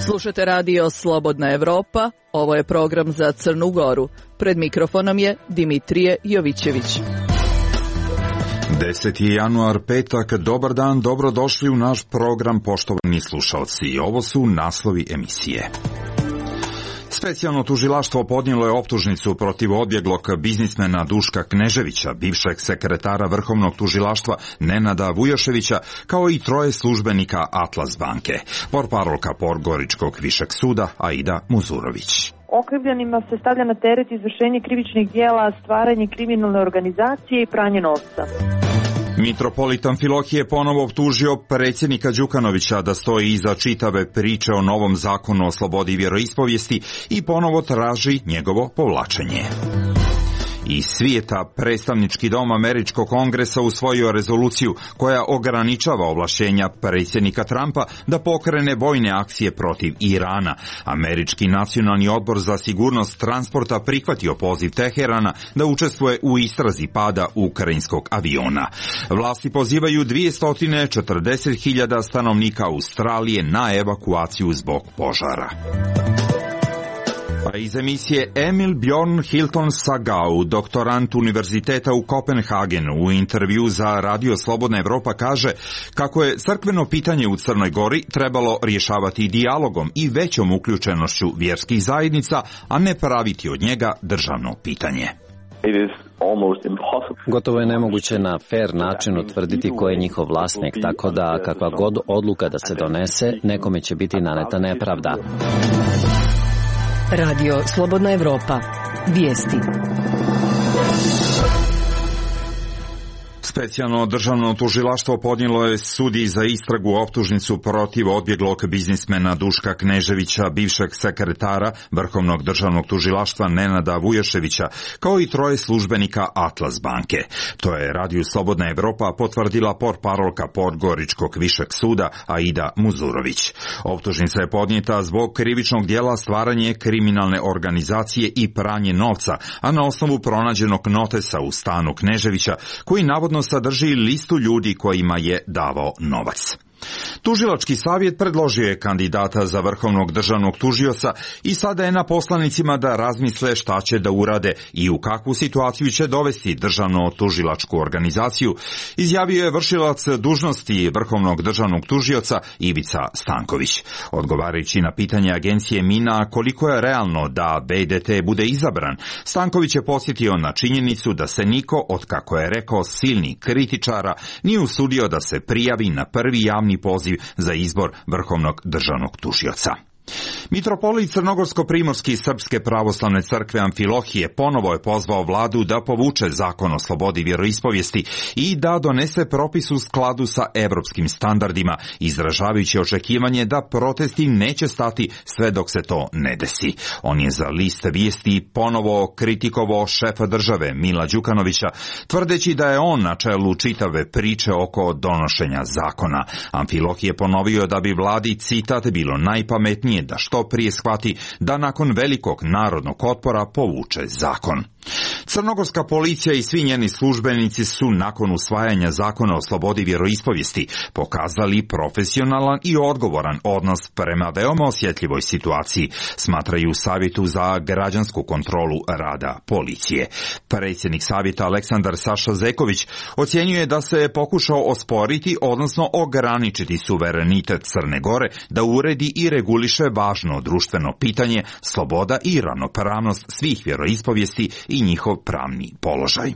Slušate radio Slobodna Evropa, ovo je program za Crnu Goru. Pred mikrofonom je Dimitrije Jovićević. 10. januar, petak, dobar dan, dobrodošli u naš program, poštovani slušalci. Ovo su naslovi emisije. Specijalno tužilaštvo podnijelo je optužnicu protiv odbjeglog biznismena Duška Kneževića, bivšeg sekretara Vrhovnog tužilaštva Nenada Vujoševića, kao i 3 službenika Atlas banke. Portparolka Podgoričkog višeg suda Aida Muzurović. Okrivljenima se stavlja na teret izvršenje krivičnih djela, stvaranje kriminalne organizacije i pranje novca. Mitropolit Amfilohije ponovo optužio predsjednika Đukanovića da stoji iza čitave priče o novom zakonu o slobodi vjeroispovijesti i ponovo traži njegovo povlačenje. Iz svijeta predstavnički dom Američkog kongresa usvojio rezoluciju koja ograničava ovlašćenja predsjednika Trumpa da pokrene vojne akcije protiv Irana. Američki nacionalni odbor za sigurnost transporta prihvatio poziv Teherana da učestvuje u istrazi pada ukrajinskog aviona. Vlasti pozivaju 240.000 stanovnika Australije na evakuaciju zbog požara. A iz emisije Emil Bjorn Hilton Sagau, doktorant univerziteta u Kopenhagenu, u intervju za Radio Slobodna Evropa kaže kako je crkveno pitanje u Crnoj Gori trebalo rješavati dijalogom i većom uključenošću vjerskih zajednica, a ne praviti od njega državno pitanje. Gotovo je nemoguće na fair način utvrditi ko je njihov vlasnik, tako da kakva god odluka da se donese, nekome će biti naneta nepravda. Radio Slobodna Evropa. Vijesti. Specijalno državno tužilaštvo podnijelo je sudiji za istragu optužnicu protiv odbjeglog biznismena Duška Kneževića, bivšeg sekretara Vrhovnog državnog tužilaštva Nenada Vujoševića, kao i 3 službenika Atlas banke. To je Radio Slobodna Evropa potvrdila portparolka Podgoričkog višeg suda Aida Muzurović. Optužnica je podnijeta zbog krivičnog djela stvaranje kriminalne organizacije i pranje novca, a na osnovu pronađenog notesa u stanu Kneževića, koji navodno sadrži listu ljudi kojima je davao novac. Tužilački savjet predložio je kandidata za vrhovnog državnog tužioca i sada je na poslanicima da razmisle šta će da urade i u kakvu situaciju će dovesti državno tužilačku organizaciju, izjavio je vršilac dužnosti vrhovnog državnog tužioca Ivica Stanković. Odgovarajući na pitanje agencije Mina koliko je realno da BDT bude izabran, Stanković je podsjetio na činjenicu da se niko, od kako je rekao silnih kritičara, nije usudio da se prijavi na prvi javni poziv za izbor vrhovnog državnog tužioca. Mitropolit Crnogorsko-primorski Srpske pravoslavne crkve Amfilohije ponovo je pozvao vladu da povuče zakon o slobodi vjeroispovijesti i da donese propis u skladu sa evropskim standardima, izražavajući očekivanje da protesti neće stati sve dok se to ne desi. On je za list vijesti ponovo kritikovao šefa države Mila Đukanovića, tvrdeći da je on na čelu čitave priče oko donošenja zakona. Amfilohije je ponovio da bi vladi, citat, bilo najpametnije da što prije shvati da nakon velikog narodnog otpora povuče zakon. Crnogorska policija i svi njeni službenici su nakon usvajanja zakona o slobodi vjeroispovijesti pokazali profesionalan i odgovoran odnos prema veoma osjetljivoj situaciji, smatraju u Savjetu za građansku kontrolu rada policije. Predsjednik savjeta Aleksandar Saša Zeković ocjenjuje da se pokušao osporiti, odnosno ograničiti suverenitet Crne Gore da uredi i reguliše važno društveno pitanje, sloboda i ravnopravnost svih vjeroispovijesti i njihov pravni položaj.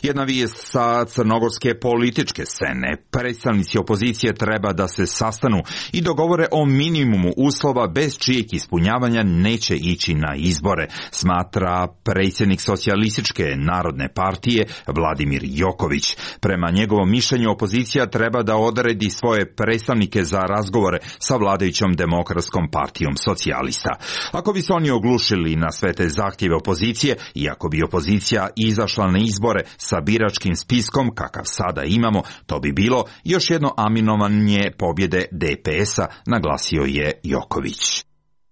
Jedna vijest sa crnogorske političke scene. Predstavnici opozicije treba da se sastanu i dogovore o minimumu uslova bez čijeg ispunjavanja neće ići na izbore, smatra predsjednik Socijalističke narodne partije Vladimir Joković. Prema njegovom mišljenju opozicija treba da odredi svoje predstavnike za razgovore sa vladajućom Demokratskom partijom socijalista. Ako bi se oni oglušili na sve te zahtjeve opozicije i ako bi opozicija izašla na izbore sa biračkim spiskom kakav sada imamo, to bi bilo još jedno aminovanje pobjede DPS-a, naglasio je Joković.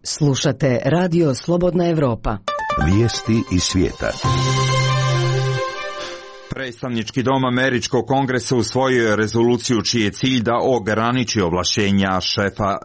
Slušate Radio Slobodna Evropa. Vijesti iz svijeta. Predstavnički dom Američkog kongresa usvojio je rezoluciju čiji je cilj da ograniči ovlašćenja šefa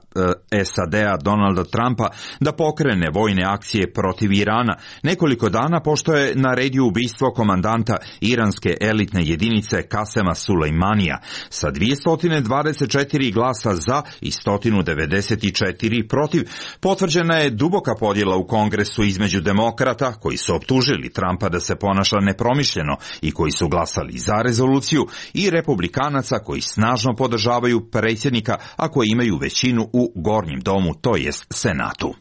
SAD-a Donalda Trumpa da pokrene vojne akcije protiv Irana, nekoliko dana pošto je naredio ubistvo komandanta iranske elitne jedinice Kasema Sulejmanija sa 224 glasa za i 194 protiv. Potvrđena je duboka podjela u kongresu između demokrata koji su optužili Trumpa da se ponaša nepromišljeno i koji su glasali za rezoluciju i republikanaca koji snažno podržavaju predsjednika, a koji imaju većinu u gornjem domu, to jest Senatu.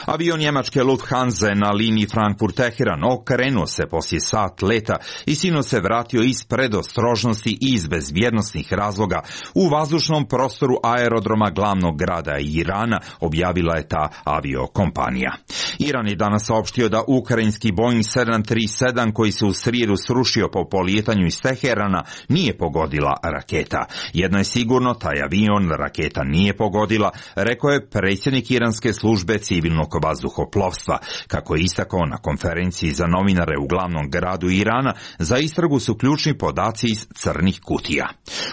Avion njemačke Lufthansa na liniji Frankfurt-Teheran okrenuo se poslije sat leta i sinoć se vratio iz predostrožnosti i iz bezbjednosnih razloga u vazdušnom prostoru aerodroma glavnog grada Irana, objavila je ta aviokompanija. Iran je danas saopštio da ukrajinski Boeing 737 koji se u srijedu srušio po polijetanju iz Teherana nije pogodila raketa. Jedno je sigurno, taj avion raketa nije pogodila, rekao je predsjednik iranske službe civilnog vazduhoplovstva. Kako je istakao na konferenciji za novinare u glavnom gradu Irana, za istragu su ključni podaci iz crnih kutija.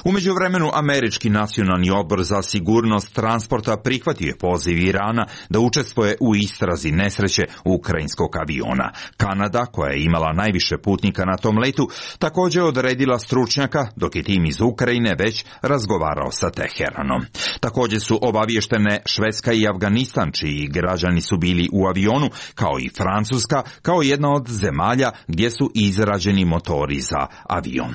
U međuvremenu, Američki nacionalni odbor za sigurnost transporta prihvatio je poziv Irana da učestvuje u istrazi nesreće ukrajinskog aviona. Kanada, koja je imala najviše putnika na tom letu, također je odredila stručnjaka, dok je tim iz Ukrajine već razgovarao sa Teheranom. Također su obavještene Švedska i Afganistan, čiji građani su bili u avionu, kao i Francuska, kao jedna od zemalja gdje su izrađeni motori za avion.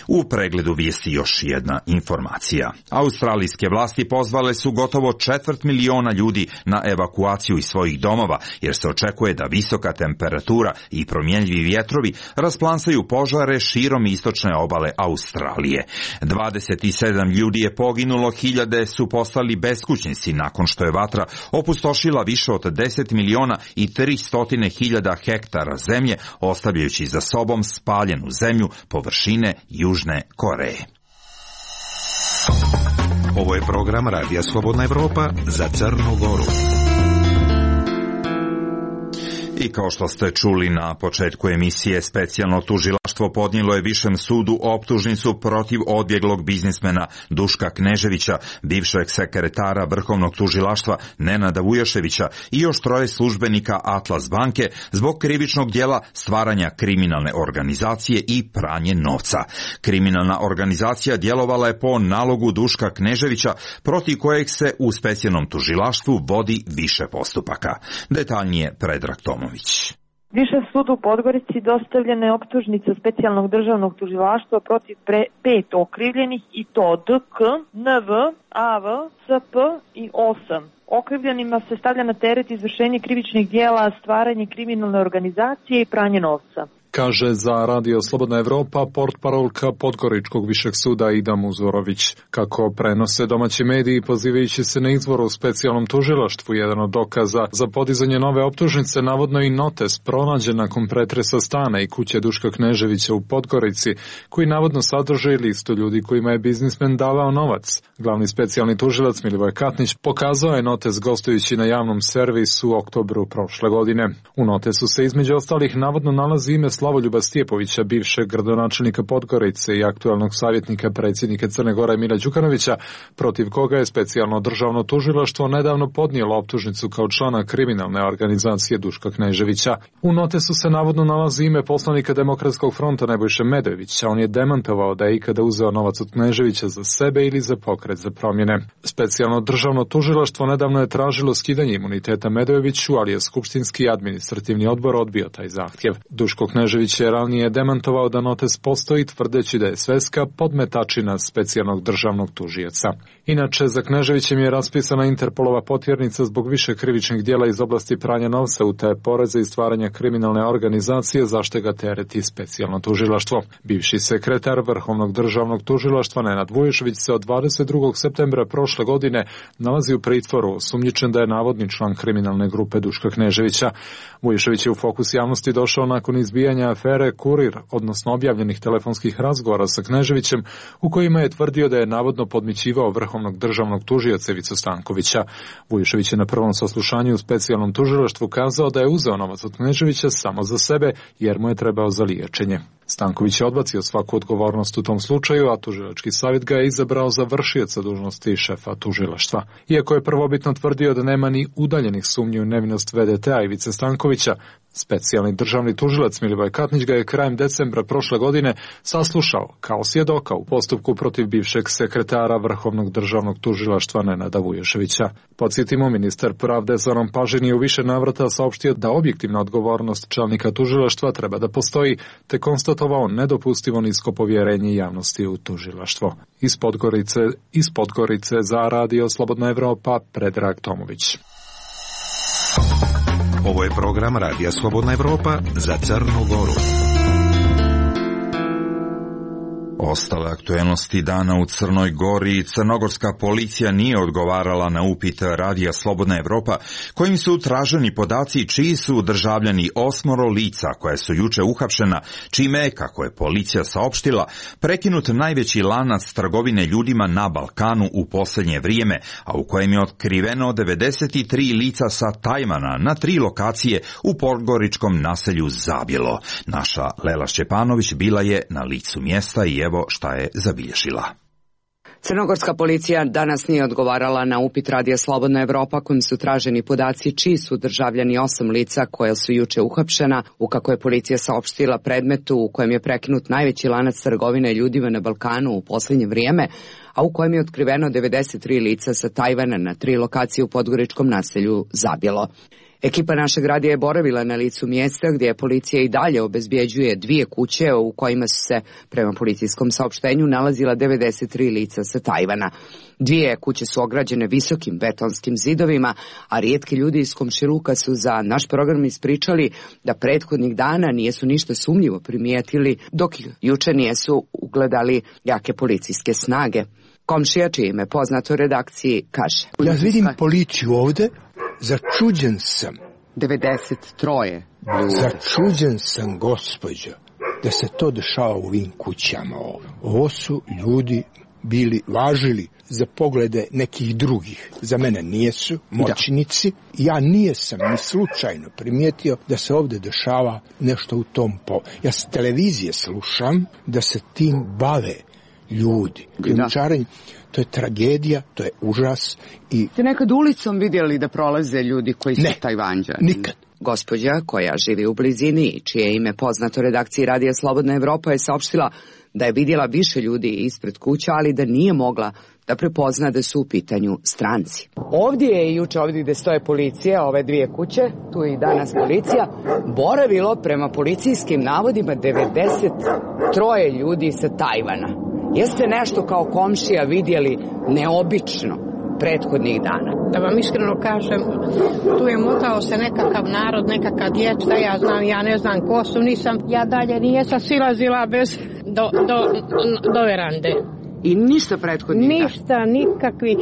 U pregledu vijesti još jedna informacija. Australijske vlasti pozvale su gotovo 250.000 ljudi na evakuaciju iz svojih domova, jer se očekuje da visoka temperatura i promjenjivi vjetrovi rasplansaju požare širom istočne obale Australije. 27 ljudi je poginulo, hiljade su postali beskućnici nakon što je vatra opustošila više od 10.300.000 hektara zemlje, ostavljajući za sobom spaljenu zemlju površine Južne Koreje. Ovo je program Radija Slobodna Evropa za Crnu Goru. I kao što ste čuli na početku emisije, specijalno tužilaštvo podnijelo je Višem sudu optužnicu protiv odbjeglog biznismena Duška Kneževića, bivšeg sekretara Vrhovnog tužilaštva Nenada Vujaševića i još 3 službenika Atlas banke zbog krivičnog djela stvaranja kriminalne organizacije i pranje novca. Kriminalna organizacija djelovala je po nalogu Duška Kneževića, protiv kojeg se u specijalnom tužilaštvu vodi više postupaka. Detaljnije Predrag Tomović. Višem sudu u Podgorici dostavljena je optužnica specijalnog državnog tužilaštva protiv 5 okrivljenih, i to DK, NV, AV, SP i 8. Okrivljenima se stavlja na teret izvršenje krivičnih djela, stvaranje kriminalne organizacije i pranje novca. Kaže za Radio Slobodna Evropa portparolka Podgoričkog višeg suda Ida Muzorović. Kako prenose domaći mediji, pozivajući se na izvor u specijalnom tužilaštvu, jedan od dokaza za podizanje nove optužnice navodno i notes pronađen nakon pretresa stana i kuće Duška Kneževića u Podgorici, koji navodno sadrži listu ljudi kojima je biznismen davao novac. Glavni specijalni tužilac Milivoj Katnić pokazao je notes gostujući na javnom servisu u oktobru prošle godine. U notesu se između ostalih navodno nalazi ime Slavoljuba Stjepovića, bivšeg gradonačelnika Podgorice i aktualnog savjetnika predsjednika Crne Gore Mila Đukanovića, protiv koga je specijalno državno tužilaštvo nedavno podnijelo optužnicu kao člana kriminalne organizacije Duška Kneževića. U notesu se navodno nalazi ime poslanika Demokratskog fronta Nebojše Medojevića. On je demantovao da je ikada uzeo novac od Kneževića za sebe ili za pokret za promjene. Specijalno državno tužilaštvo nedavno je tražilo skidanje imuniteta Medojeviću, ali je Skupštinski administrativni odbor odbio taj zahtjev. Duško Knežević je ranije demantovao da notes postoji, tvrdeći da je sveska podmetačina specijalnog državnog tužioca. Inače, za Kneževićem je raspisana Interpolova potjernica zbog više krivičnih djela iz oblasti pranja novca, utaje poreza i stvaranja kriminalne organizacije, zašto ga tereti specijalno tužilaštvo. Bivši sekretar Vrhovnog državnog tužilaštva Nenad Vujašević se od 22. septembra prošle godine nalazi u pritvoru, osumnjičen da je navodni član kriminalne grupe Duška Kneževića. Vujašević je u fokus javnosti došao nakon izbijanja afere Kurir, odnosno objavljenih telefonskih razgovora sa Kneževićem, u kojima je tvrdio da je navodno podmićivao Vrhovnog državnog tužioca Ivicu Stankovića. Vujašević je na prvom saslušanju u specijalnom tužilaštvu kazao da je uzeo novac od Kneževića samo za sebe, jer mu je trebao za liječenje. Stanković je odbacio svaku odgovornost u tom slučaju, a tužilački savjet ga je izabrao za vršioca dužnosti šefa tužilaštva. Iako je prvobitno tvrdio da nema ni udaljenih sumnji u nevinost VDT-a Ivice Stankovića, specijalni državni tužilac Milivoj Katnić ga je krajem decembra prošle godine saslušao kao svjedoka u postupku protiv bivšeg sekretara Vrhovnog državnog tužilaštva Nenada Vujoševića. Podsjetimo, ministar pravde Zoran Pažin je u više navrata saopštio da objektivna odgovornost čelnika tužilaštva treba da postoji, te konstatovao nedopustivo nisko povjerenje javnosti u tužilaštvo. Iz Podgorice za Radio Slobodna Evropa, Predrag Tomović. Ovo je program Radija Slobodna Evropa za Crnu Goru. Ostale aktuelnosti dana u Crnoj Gori. Crnogorska policija nije odgovarala na upit Radija Slobodna Evropa kojim su traženi podaci čiji su državljani 8 lica koja su juče uhapšena, čime je, kako je policija saopštila, prekinut najveći lanac trgovine ljudima na Balkanu u posljednje vrijeme, a u kojem je otkriveno 93 lica sa Tajvana na 3 lokacije u podgoričkom naselju Zabjelo. Naša Lela Šćepanović bila je na licu mjesta i evo šta je zabilježila. Crnogorska policija danas nije odgovarala na upit Radija Slobodna Evropa kojim su traženi podaci čiji su državljani 8 lica koja su juče uhapšena, u kako je policija saopštila predmetu u kojem je prekinut najveći lanac trgovine ljudima na Balkanu u posljednje vrijeme, a u kojem je otkriveno 93 lica sa Tajvana na 3 lokacije u podgoričkom naselju Zabjelo. Ekipa našeg radija je boravila na licu mjesta gdje je policija i dalje obezbjeđuje 2 kuće u kojima su se, prema policijskom saopštenju, nalazila 93 lica sa Tajvana. 2 kuće su ograđene visokim betonskim zidovima, a rijetki ljudi iz komšiluka su za naš program ispričali da prethodnih dana nijesu ništa sumnjivo primijetili, dok juče nijesu ugledali jake policijske snage. Komšija, čije ime poznato redakciji, kaže: Ja vidim policiju ovde. Začuđen sam. 93 ljudi. Začuđen sam, gospođo, da se to dešava u ovim kućama. Ovo su ljudi važili za poglede nekih drugih. Za mene nijesu moćnici. Ja nijesam ni slučajno primijetio da se ovdje dešava nešto u tom Ja s televizije slušam da se tim bave ljudi. Krijumčarenje. To je tragedija, to je užas. Ste nekad ulicom vidjeli da prolaze ljudi koji su Tajvanđani? Nikad. Gospođa koja živi u blizini i čije ime poznato redakciji Radija Slobodna Evropa je saopštila da je vidjela više ljudi ispred kuća, ali da nije mogla da prepozna da su u pitanju stranci. Ovdje je i juče, ovdje gdje stoje policija, ove 2 kuće, tu je i danas policija, boravilo prema policijskim navodima 93 ljudi sa Tajvana. Jeste nešto kao komšija vidjeli neobično prethodnih dana? Da vam iskreno kažem, tu je motao se nekakav narod, nekakav djeć, da ja znam, ja ne znam ko su, ja dalje nijesam silazila bez do verande. I ništa prethodnih dana? Ništa,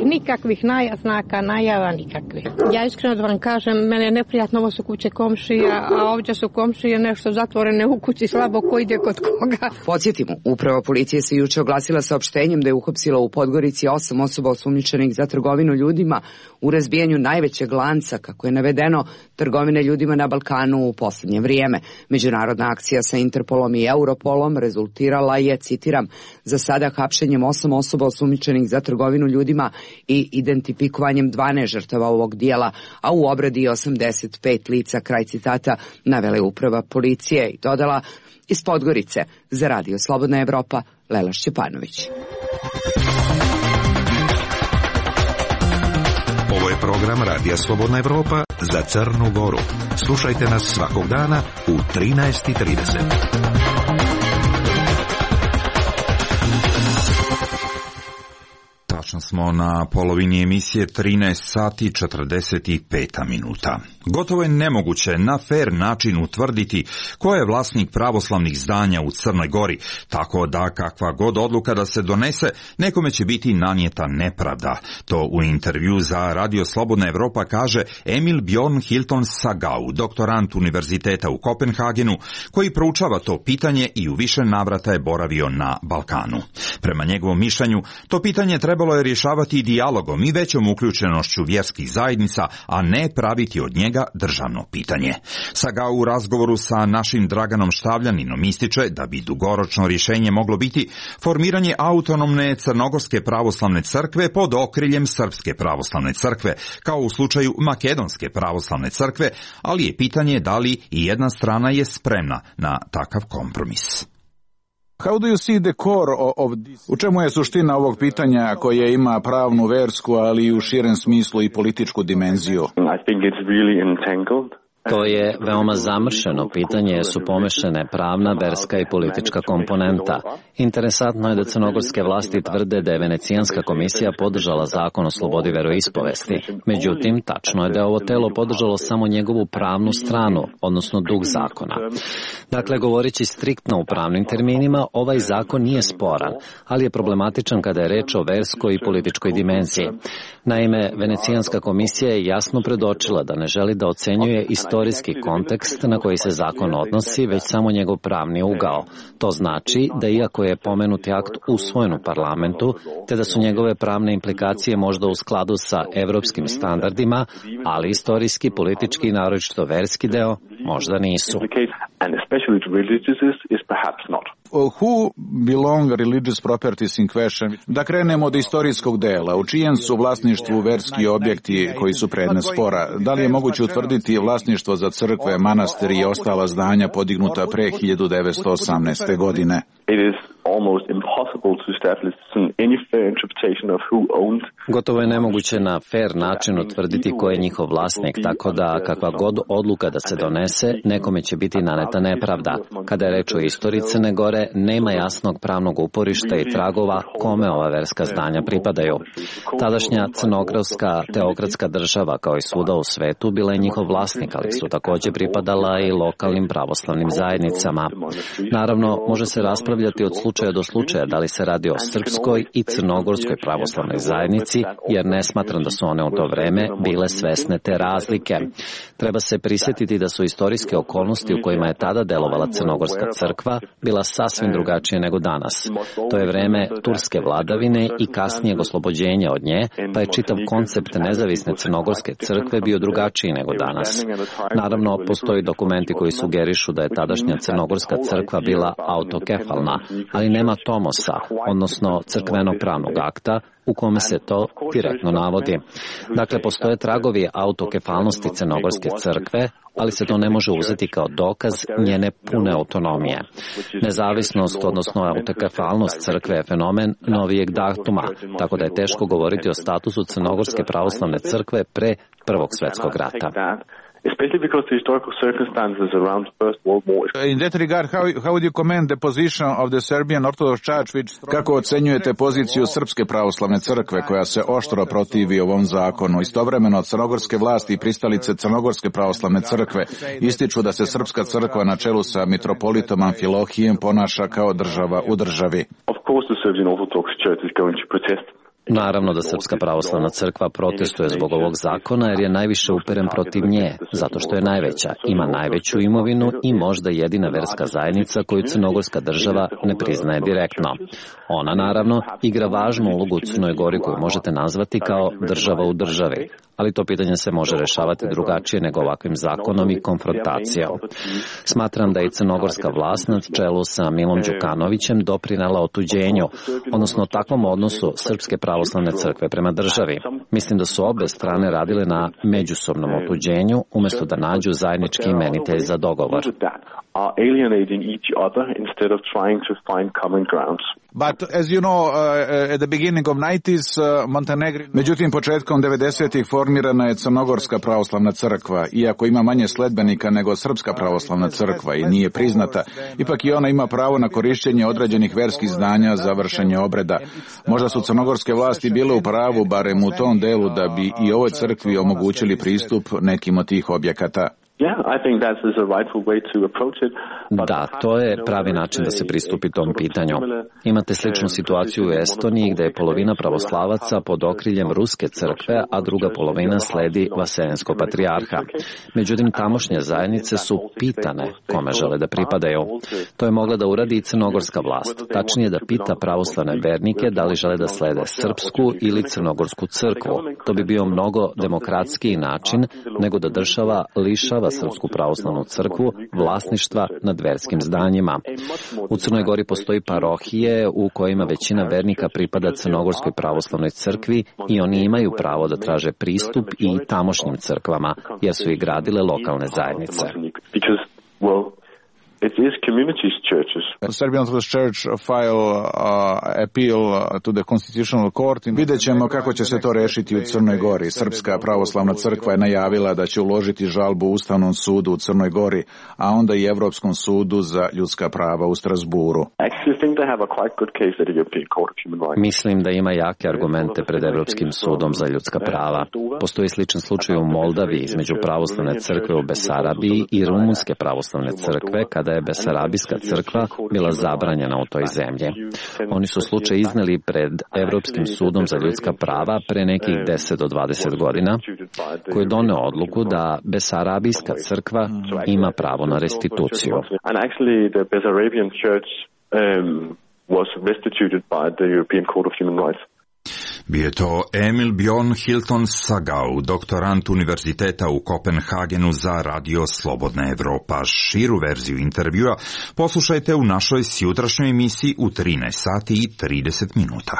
nikakvih naznaka, najava nikakvih. Ja iskreno da vam kažem, mene je neprijatno, ovo su kuće komšija, a ovdje su komšije nešto zatvorene u kući, slabo ko ide kod koga. Podsjetimo, uprava policije se juče oglasila saopštenjem da je uhapsila u Podgorici 8 osoba osumnjičenih za trgovinu ljudima u razbijanju najvećeg lanca, kako je navedeno, trgovine ljudima na Balkanu u posljednje vrijeme. Međunarodna akcija sa Interpolom i Europolom rezultirala je, citiram, za sada hapšenjem 8 osoba osumnjičenih za trgovinu ljudima i identifikovanjem 12 žrtava ovog dijela, a u obradi 85 lica, kraj citata, navela je uprava policije i dodala: iz Podgorice za Radio Slobodna Evropa, Lela Šćepanović. Ovo je program Radija Slobodna Evropa za Crnu Goru. Slušajte nas svakog dana u 13:30. Tačno smo na polovini emisije 13 sati 45 minuta. Gotovo je nemoguće na fer način utvrditi ko je vlasnik pravoslavnih zdanja u Crnoj Gori, tako da kakva god odluka da se donese, nekome će biti nanijeta nepravda. To u intervju za Radio Slobodna Evropa kaže Emil Bjorn Hilton Sagau, doktorant Univerziteta u Kopenhagenu, koji proučava to pitanje i u više navrata je boravio na Balkanu. Prema njegovom mišljenju, to pitanje trebalo je rješavati dijalogom i većom uključenošću vjerskih zajednica, a ne praviti od njega njega državno pitanje. Saga u razgovoru sa našim Draganom Štavljaninom ističe da bi dugoročno rješenje moglo biti formiranje autonomne Crnogorske pravoslavne crkve pod okriljem Srpske pravoslavne crkve, kao u slučaju Makedonske pravoslavne crkve, ali je pitanje da li i jedna strana je spremna na takav kompromis. U čemu je suština ovog pitanja koje ima pravnu, versku, ali i u širem smislu i političku dimenziju? To je veoma zamršeno pitanje jer su pomešane pravna, verska i politička komponenta. Interesantno je da crnogorske vlasti tvrde da je Venecijanska komisija podržala zakon o slobodi veroispovesti. Međutim, tačno je da je ovo telo podržalo samo njegovu pravnu stranu, odnosno duh zakona. Dakle, govoreći striktno u pravnim terminima, ovaj zakon nije sporan, ali je problematičan kada je reč o verskoj i političkoj dimenziji. Naime, Venecijanska komisija je jasno predočila da ne želi da ocenjuje istorijski kontekst na koji se zakon odnosi, već samo njegov pravni ugao. To znači da iako je pomenuti akt usvojen u parlamentu, te da su njegove pravne implikacije možda u skladu sa evropskim standardima, ali istorijski, politički i naročito verski deo možda nisu. Who belong religious properties in question? Da krenemo od istorijskog dela. U čijem su vlasništvu verski objekti koji su predmet spora? Da li je moguće utvrditi vlasništvo za crkve, manastiri i ostala zdanja podignuta pre 1918. godine? Gotovo je nemoguće na fair način utvrditi ko je njihov vlasnik, tako da kakva god odluka da se donese, nekome će biti naneta nepravda. Kada je reč o istoriji Crne Gore, nema jasnog pravnog uporišta i tragova kome ova verska zdanja pripadaju. Tadašnja crnogorska teokratska država, kao i svuda u svetu, bila je njihov vlasnik, ali su također pripadala i lokalnim pravoslavnim zajednicama. Naravno, može se raspravljati od slučaja do slučaja da li se radi o srpskoj i crnogorskoj pravoslavnoj zajednici, jer ne smatram da su one u to vreme bile svesne te razlike. Treba se prisjetiti da su istorijske okolnosti u kojima je tada delovala crnogorska crkva bila sasvim drugačije nego danas. To je vreme turske vladavine i kasnijeg oslobođenja od nje, pa je čitav koncept nezavisne crnogorske crkve bio drugačiji nego danas. Naravno, postoji dokumenti koji sugerišu da je tadašnja crnogorska crkva bila autokefalna, ali nema tomosa, odnosno crkvenog pravnog akta, u kome se to direktno navodi. Dakle, postoje tragovi autokefalnosti crnogorske crkve, ali se to ne može uzeti kao dokaz njene pune autonomije. Nezavisnost, odnosno autokefalnost crkve je fenomen novijeg datuma, tako da je teško govoriti o statusu crnogorske pravoslavne crkve pre Prvog svjetskog rata. Especially because the historical circumstances around the First World War. In that regard, how would you commend the position of the Serbian Orthodox Church, which... Kako ocenjujete poziciju Srpske pravoslavne crkve koja se oštro protivi ovom zakonu? Istovremeno, crnogorske vlasti i pristalice Crnogorske pravoslavne crkve ističu da se Srpska crkva na čelu sa mitropolitom Amfilohijem ponaša kao država u državi. Of course, the Serbian Orthodox Church is going to protest. Naravno da Srpska pravoslavna crkva protestuje zbog ovog zakona jer je najviše uperen protiv nje, zato što je najveća, ima najveću imovinu i možda jedina verska zajednica koju crnogorska država ne priznaje direktno. Ona, naravno, igra važnu ulogu u Crnoj Gori koju možete nazvati kao država u državi, ali to pitanje se može rešavati drugačije nego ovakvim zakonom i konfrontacijom. Smatram da je crnogorska vlast na čelu sa Milom Đukanovićem doprinela otuđenju, odnosno takvom odnosu Srpske pravoslavne crkve prema državi. Mislim da su obe strane radile na međusobnom otuđenju, umjesto da nađu zajednički imenitelj za dogovor. But as you know, at the beginning of 90s, Montenegro... Međutim, početkom 90-ih formirana je Crnogorska pravoslavna crkva. Iako ima manje sledbenika nego Srpska pravoslavna crkva i nije priznata, ipak i ona ima pravo na korišćenje određenih verskih zdanja za vršenje obreda. Možda su crnogorske vlasti bile u pravu, barem u tom delu, da bi i ovoj crkvi omogućili pristup nekim od tih objekata. Da, to je pravi način da se pristupi tom pitanju. Imate sličnu situaciju u Estoniji gde je polovina pravoslavaca pod okriljem Ruske crkve, a druga polovina sledi Vaseljenskog patrijarha. Međutim, tamošnje zajednice su pitane kome žele da pripadaju. To je mogla da uradi i crnogorska vlast. Tačnije da pita pravoslavne vernike da li žele da slede srpsku ili crnogorsku crkvu. To bi bio mnogo demokratskiji način nego da država lišava Srpsku pravoslavnu crkvu vlasništva nad verskim zdanjima. U Crnoj Gori postoji parohije u kojima većina vernika pripada Crnogorskoj pravoslavnoj crkvi i oni imaju pravo da traže pristup i tamošnjim crkvama, jer su ih gradile lokalne zajednice. It is communities churches. Serbian Orthodox Church file appeal to the Constitutional Court. Vidjet ćemo kako će se to rešiti u Crnoj Gori. Srpska pravoslavna crkva je najavila da će uložiti žalbu Ustavnom sudu u Crnoj Gori, a onda i Evropskom sudu za ljudska prava u Strasburu. Mislim da ima jake argumente pred Evropskim sudom za ljudska prava. Postoji sličan slučaj u Moldaviji između pravoslavne crkve u Besarabiji i rumunske pravoslavne crkve, kada je Besarabijska crkva bila zabranjena u toj zemlji. Oni su slučaj izneli pred Evropskim sudom za ljudska prava pre nekih 10 do 20 godina, koji je doneo odluku da Besarabijska crkva ima pravo na restituciju. Bio je to Emil Bjorn Hilton Sagau, doktorant Univerziteta u Kopenhagenu za Radio Slobodna Evropa. Širu verziju intervjua poslušajte u našoj sjutrašnjoj emisiji u 13 sati i 30 minuta.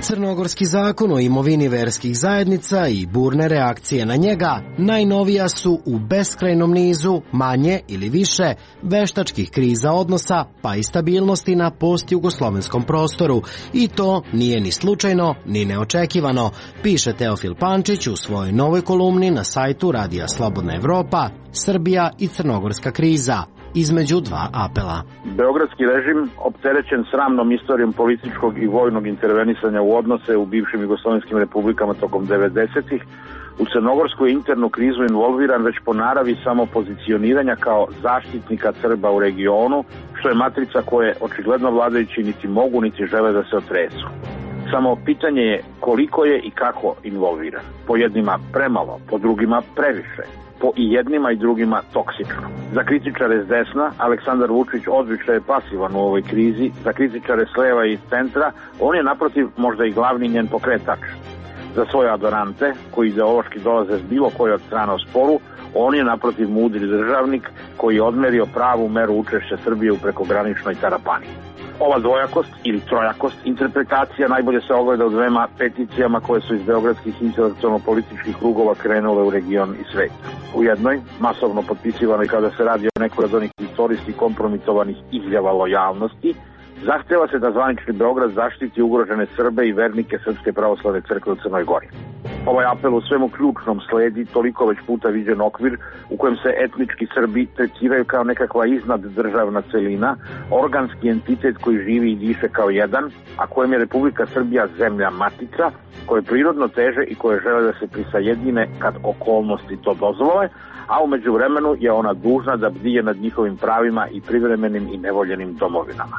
Crnogorski zakon o imovini verskih zajednica i burne reakcije na njega najnovija su u beskrajnom nizu manje ili više veštačkih kriza odnosa pa i stabilnosti na postjugoslovenskom prostoru. I to nije ni slučajno ni neočekivano, piše Teofil Pančić u svojoj novoj kolumni na sajtu Radija Slobodna Evropa, Srbija i crnogorska kriza. Između dva apela. Beogradski režim, opterećen sramnom istorijom političkog i vojnog intervenisanja u odnose u bivšim jugoslovenskim republikama tokom 90-ih, u crnogorsku internu krizu involviran već po naravi samopozicioniranja kao zaštitnika Srba u regionu, što je matrica koje očigledno vladajući niti mogu niti žele da se otresu. Samo pitanje je koliko je i kako involviran. Po jednima premalo, po drugima previše. Po i jednima i drugima toksično. Za kritičare s desna, Aleksandar Vučić odlično je pasivan u ovoj krizi, za kritičare s leva i centra, on je naprotiv možda i glavni njen pokretač. Za svoje adorante, koji ideološki dolaze s bilo koje od strana u sporu, on je naprotiv mudri državnik koji je odmerio pravu meru učešća Srbije u prekograničnoj tarapani. Ova dvojakost ili trojakost interpretacija najbolje se ogleda u dvema peticijama koje su iz beogradskih intelektualno-političkih krugova krenule u region i svet. U jednoj, masovno potpisivanoj kada se radi o nekoj od onih istorijski kompromitovanih izjava lojalnosti, zahteva se da zvanični Beograd zaštiti ugrožene Srbe i vernike Srpske pravoslavne crkve u Crnoj Gori. Ovaj apel u svemu ključnom sledi toliko već puta viđen okvir u kojem se etnički Srbi tretiraju kao nekakva iznad državna celina, organski entitet koji živi i diše kao jedan, a kojem je Republika Srbija zemlja matica, koje prirodno teže i koje žele da se prisajedine kad okolnosti to dozvole, a u međuvremenu je ona dužna da bdije nad njihovim pravima i privremenim i nevoljenim domovinama.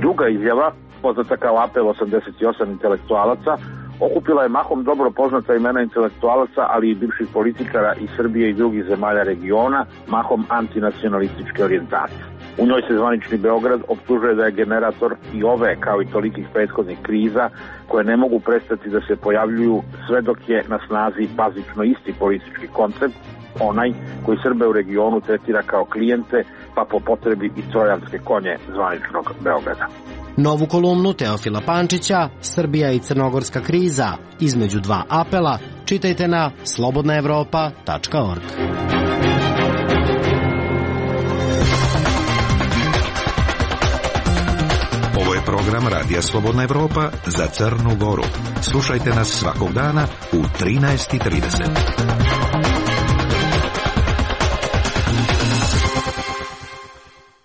Druga izjava, poznata kao apel 88 intelektualaca, okupila je mahom dobro poznata imena intelektualaca, ali i bivših političara iz Srbije i drugih zemalja regiona, mahom antinacionalističke orijentacije. U njoj se zvanični Beograd optužuje da je generator i ove, kao i tolikih prethodnih kriza, koje ne mogu prestati da se pojavljuju sve dok je na snazi bazično isti politički koncept, onaj koji Srbe u regionu tretira kao klijente, pa po potrebi i trojanske konje zvaničnog Beograda. Novu kolumnu Teofila Pančića, Srbija i crnogorska kriza, između dva apela, čitajte na slobodnaevropa.org. Ovo je program Radija Slobodna Evropa za Crnu Goru. Slušajte nas svakog dana u 13:30.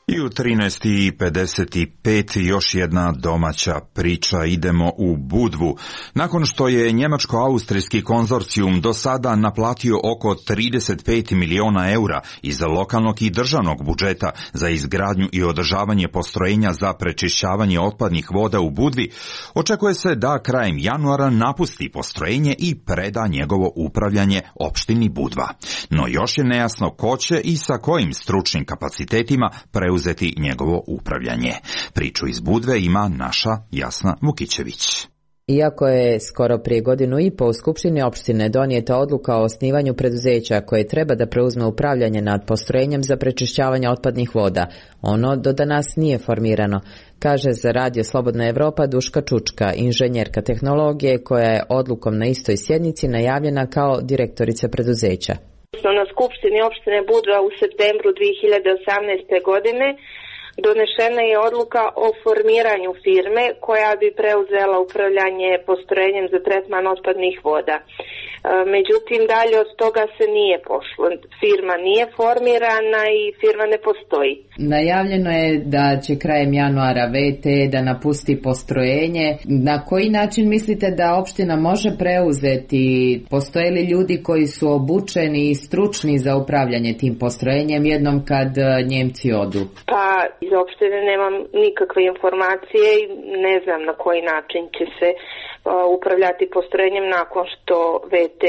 I u 13:55 još jedna domaća priča. Idemo u Budvu. Nakon što je njemačko-austrijski konzorcijum do sada naplatio oko 35 miliona eura iz lokalnog i državnog budžeta za izgradnju i održavanje postrojenja za prečišćavanje otpadnih voda u Budvi, očekuje se da krajem januara napusti postrojenje i preda njegovo upravljanje opštini Budva. No još je nejasno ko će i sa kojim stručnim kapacitetima preuzeti njegovo upravljanje. Priču iz Budve ima naša Jasna Vukićević. Iako je skoro prije godinu i po u Skupštini opštine donijeta odluka o osnivanju preduzeća koje treba da preuzme upravljanje nad postrojenjem za prečišćavanje otpadnih voda, ono do danas nije formirano, kaže za Radio Slobodna Evropa Duška Čučka, inženjerka tehnologije koja je odlukom na istoj sjednici najavljena kao direktorica preduzeća. Na Skupštini opštine Budva u septembru 2018. godine donešena je odluka o formiranju firme koja bi preuzela upravljanje postrojenjem za tretman otpadnih voda. Međutim, dalje od toga se nije pošlo. Firma nije formirana i firma ne postoji. Najavljeno je da će krajem januara VT da napusti postrojenje. Na koji način mislite da opština može preuzeti? Postoje li ljudi koji su obučeni i stručni za upravljanje tim postrojenjem jednom kad Njemci odu? Pa iz opštine nemam nikakve informacije i ne znam na koji način će se upravljati postrojenjem nakon što VT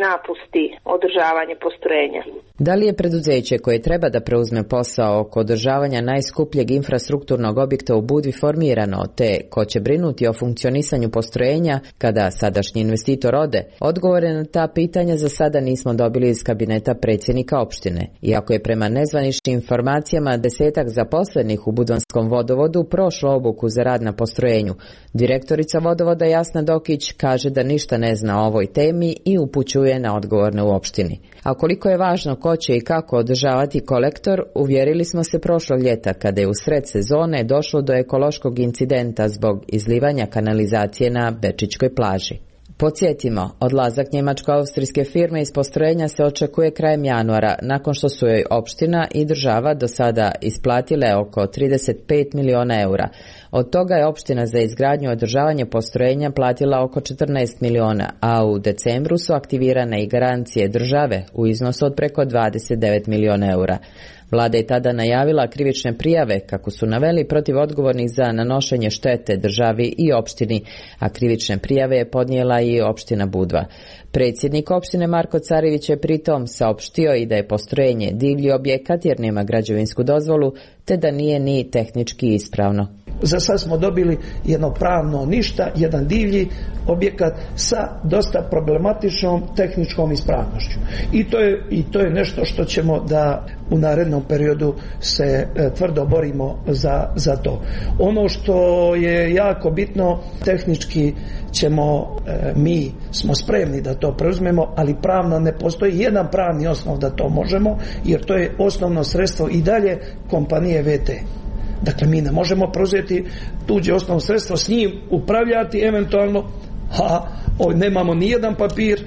napusti održavanje postrojenja. Da li je preduzeće koje treba da preuzme posao oko održavanja najskupljeg infrastrukturnog objekta u Budvi formirano, te ko će brinuti o funkcionisanju postrojenja kada sadašnji investitor ode? Odgovore na ta pitanja za sada nismo dobili iz kabineta predsjednika opštine. Iako je prema nezvaničnim informacijama 10 zaposlenih u Budvanskom vodovodu prošlo obuku za rad na postrojenju, direktorica vodovoda Jasna Dokić kaže da ništa ne zna o ovoj temi i upućuje na odgovorne u opštini. A koliko je važno ko će i kako održavati kolektor, uvjerili smo se prošlog ljeta kada je u sred sezone došlo do ekološkog incidenta zbog izlivanja kanalizacije na Bečićkoj plaži. Podsjetimo, odlazak njemačko-austrijske firme iz postrojenja se očekuje krajem januara, nakon što su joj opština i država do sada isplatile oko 35 miliona eura. Od toga je opština za izgradnju i održavanje postrojenja platila oko 14 miliona, a u decembru su aktivirane i garancije države u iznosu od preko 29 miliona eura. Vlada je tada najavila krivične prijave, kako su naveli, protiv odgovornih za nanošenje štete državi i opštini, a krivične prijave je podnijela i opština Budva. Predsjednik opštine Marko Carević je pritom saopštio i da je postrojenje divlji objekat jer nema građevinsku dozvolu, te da nije ni tehnički ispravno. Za sad smo dobili jedno pravno ništa, jedan divlji objekat sa dosta problematičnom tehničkom ispravnošću. I to je nešto što ćemo da u narednom periodu se tvrdo borimo za to. Ono što je jako bitno, tehnički mi smo spremni da to preuzmemo, ali pravno ne postoji jedan pravni osnov da to možemo, jer to je osnovno sredstvo i dalje kompanije VT. Dakle, mi ne možemo preuzeti tuđe osnovno sredstvo, s njim upravljati eventualno, a nemamo ni jedan papir,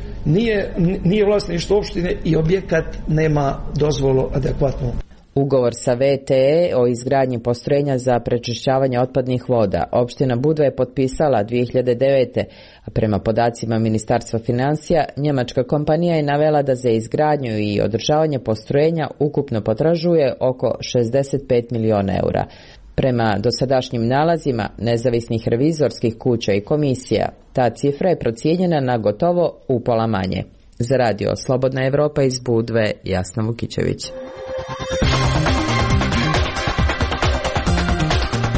nije vlasništvo opštine i objekat nema dozvolu adekvatnu. Ugovor sa VTE o izgradnji postrojenja za prečišćavanje otpadnih voda opština Budva je potpisala 2009. A prema podacima Ministarstva financija, njemačka kompanija je navela da za izgradnju i održavanje postrojenja ukupno potražuje oko 65 miliona eura. Prema dosadašnjim nalazima nezavisnih revizorskih kuća i komisija, ta cifra je procijenjena na gotovo upola manje. Za Radio Slobodna Evropa iz Budve, Jasna Vukićević.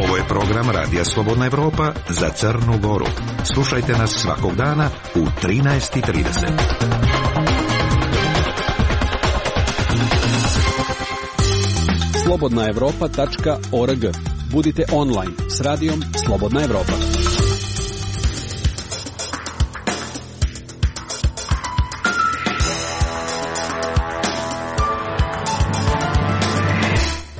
Ovo je program Radija Slobodna Evropa za Crnu Goru. Slušajte nas svakog dana u 13:30. slobodnaevropa.org. Budite online s radijom Slobodna Evropa.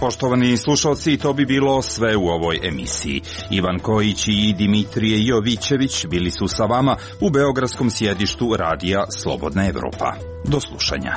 Poštovani slušalci, to bi bilo sve u ovoj emisiji. Ivan Kojić i Dimitrije Jovićević bili su sa vama u beogradskom sjedištu Radija Slobodna Evropa. Do slušanja.